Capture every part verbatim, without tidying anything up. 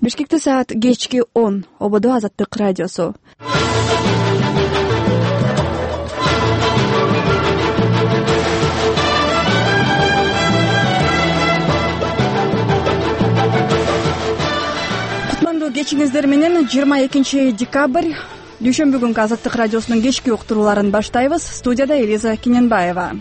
Бишкекте саат кечки он. Ободо Азаттык радиосу. Кутмандуу кечиңиздер менен жыйырма экинчи декабрь дүйшөмбү күнкү Азаттык радиосунун кечки уктурууларын баштайбыз. Студияда Элиза Кененбаева.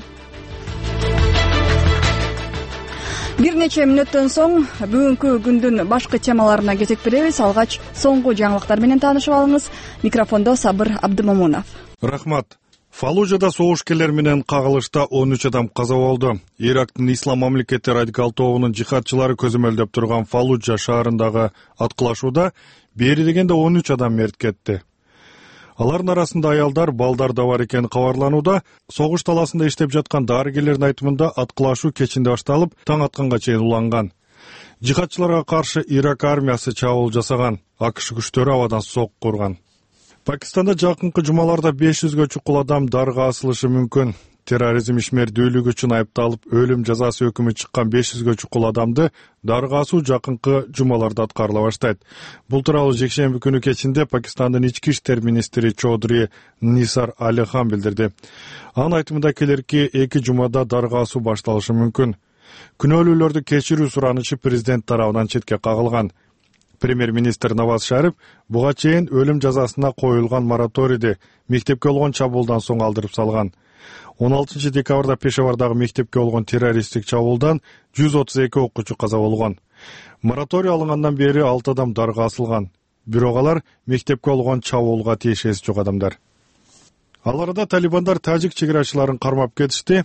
Бир нече мүнөттөн соң бүгүнкү күндүн башкы темаларына кезек беребиз. Алгач соңку жаңылыктар менен таанышып алыңыз. Микрофондо Сабыр Абдымомунов. Рахмат. Фаллужада согушкерлер менен кагылышта он үч адам каза болду. Ирактын Ислам мамлекети радикал тобунун жихадчылары көзөмөлдөп турган Фаллужа шаарындагы аткылашууда бери дегенде он үч адам мерт кетти. Алардын арасында аялдар, балдар да бар экени кабарланууда. Согуш таласында иштеп жаткан дарыгерлердин айтымында аткылашуу кечинде башталып, таң атканга чейин уланган. Жихадчыларга каршы Ирак армиясы чабуул жасаган, АКШ күчтөрү абадан сокку курган. Пакистанда жакынкы жумаларда беш жүзгө чукул адам дарга асылышы мүмкүн. Терроризм ишмердүүлүгү үчүн айыпталып, өлүм жазасы өкүмү чыккан беш жүзгө чукул адамды дарга асуу жакынкы жумаларда аткарыла баштайт. Бул тууралуу жекшемби күнү кечинде Пакистандын ички иштер министри Чодри Нисар Али Хан билдирди. Анын айтымында келерки эки жумада дарга асуу башталышы мүмкүн. Күнөөлүүлөрдү кечирүү суранычы президент тарабынан четке кагылган. Премьер-министр Наваз Шариф буга чейин өлүм жазасына коюлган мораторийди мектепке болгон чабуулдан соң алдырып салган. он алтынчы декабрда Пешавардагы мектепке болгон террористтик чабуулдан жүз отуз эки окуучу каза болгон. Мораторий алынгандан бери алты адам дарга асылган. Бирок алар мектепке болгон чабуулга тиешеси жок адамдар. Ал арада талибандар тажик чегерачыларын кармап кетишти.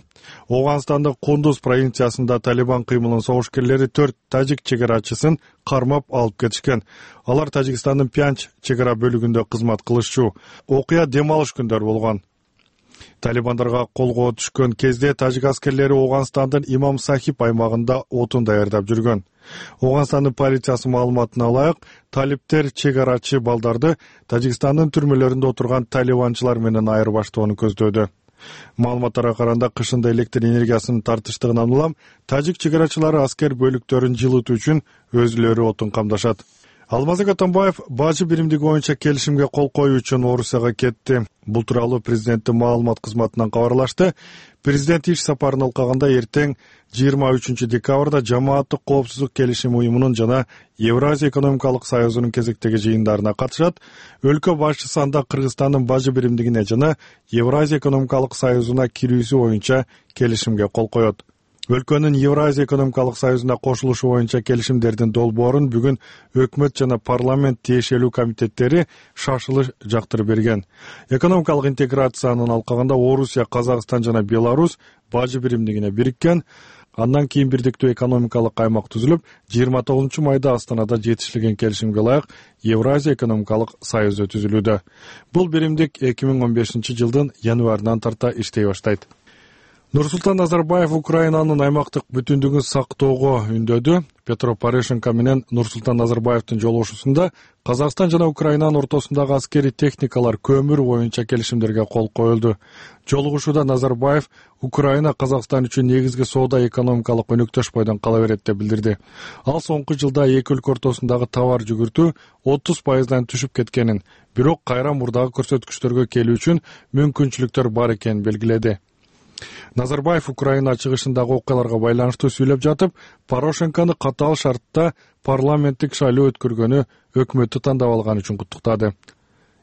Ооганстандын Кундуз провинциясында талибан кыймылынын согушкерлери төрт тажик чегерачысын кармап алып кетишкен. Алар Тажикстандын Пянч чегара бөлүгүндө кызмат кылышчу. Окуя дем алыш күндөр болгон. Талибандарга колго түшкөн кезде тажик аскерлери Ооганстандын Имам Сахиб аймагында отун даярдап жүргөн. Ооганстандын полициясы маалыматына ылайык, талиптер чегарачы балдарды Тажикстандын түрмөлөрүндө отурган талибанчылар менен айырбаштоону көздөөдү. Маалыматтарга караганда кышында электр энергиясынын тартыштыгынан улам тажик чегарачылары аскер бөлүктөрүн жылытуу үчүн өзүлөрү отун камдашат. Алмазбек Атамбаев бажы биримдиги боюнча келишимге кол коюу үчүн Орусияга кетти. Бул тууралуу президенттин маалымат кызматынан кабарлашты. Президент иш сапарын алкаганда эртең жыйырма үчүнчү декабрда Жамааттык коопсуздук келишим уюмунун жана Евразия экономикалык союзунун кезектеги жыйындарына катышат. Өлкө башчысы анда Кыргызстандын бажы биримдигине жана Евразия экономикалык союзуна кирүүсү боюнча келишимге кол коет. Өлкөнүн Евразия экономикалык союзуна кошулушу боюнча келишимдердин долбоорун бүгүн өкмөт жана парламент тиешелүү комитеттери шашылыш жактырып берген. Экономикалык интеграциянын алкагында Орусия, Казакстан жана Беларусь бажы биримдигине бириккен. Андан кийин бирдиктүү экономикалык аймак түзүлүп, жыйырма тогузунчу майда Астанада жетишилген келишимге ылайык Евразия экономикалык союзу түзүлүүдө. Бул биримдик эки миң он бешинчи жылдын январынан тарта иштей баштайт. Нурсултан Назарбаев Украинанын аймактык бүтүндүгүн сактоого үндөдү. Петро Порошенко менен Нурсултан Назарбаевдин жолугушуусунда Казакстан жана Украинанын ортосундагы аскери техникалар көмүр боюнча келишимдерге кол коюлду. Жолугушууда Назарбаев Украина Казакстан үчүн негизги соода экономикалык өнөктөш бойдон кала берет деп билдирди. Ал соңку жылда эки өлкө ортосундагы товар жүгүртүү отуз пайыздан түшүп кеткенин, бирок кайра мурдагы көрсөткүчтөргө келүү үчүн мүмкүнчүлүктөр бар экенин белгиледи. Назарбаев Украина чыгышындагы окуяларга байланыштуу сүйлөп жатып, Порошенкону катаал шартта парламенттик шайлоо өткөргөнү өкмөттү тандап алган үчүн куттуктады.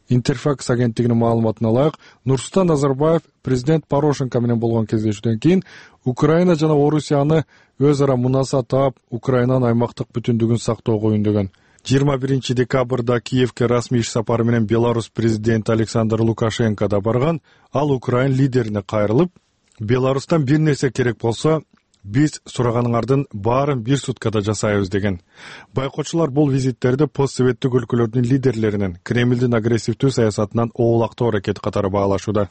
Интерфакс агенттигинин маалыматына ылайык, Нурсултан Назарбаев президент Порошенко менен болгон кездешүүдөн кийин Украина жана Орусияны өз ара мунаса таап, Украинанын аймактык бүтүндүгүн сактоого үндөгөн. жыйырма биринчи декабрда Киевке расмий иш сапары менен Беларусь президенти Александр Лукашенко да барган. Ал Украин лидерине кайрылып, Беларустан бир нерсе керек болсо, биз сураганыңардын баарын бир суткада жасайбыз деген. Байкоочулар бул визиттерди постсоветтик өлкөлөрдүн лидерлеринин Кремлдин агрессивдүү саясатынан оолактоо аракети катары баалашууда.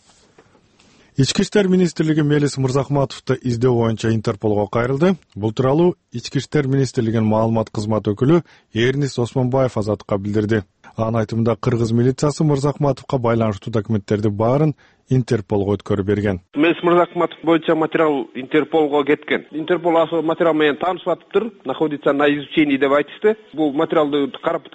Ички иштер министрлиги Мелис Мырзахматовду издөө боюнча Интерполго кайрылды. Бул тууралуу Ички иштер министрлигинин маалымат кызматы өкүлү Эрнис Осмонбаев Азаттыкка билдирди. Анын айтымында кыргыз милициясы Мырзахматовго байланыштуу документтерди баарын Интерполго өткөрүп берген. Мес Мырзахматов боюнча материал Интерполго кеткен. Интерпол ошол материал менен таанышып атыптыр, находится на изучении деп айтышты. Бул материалды карап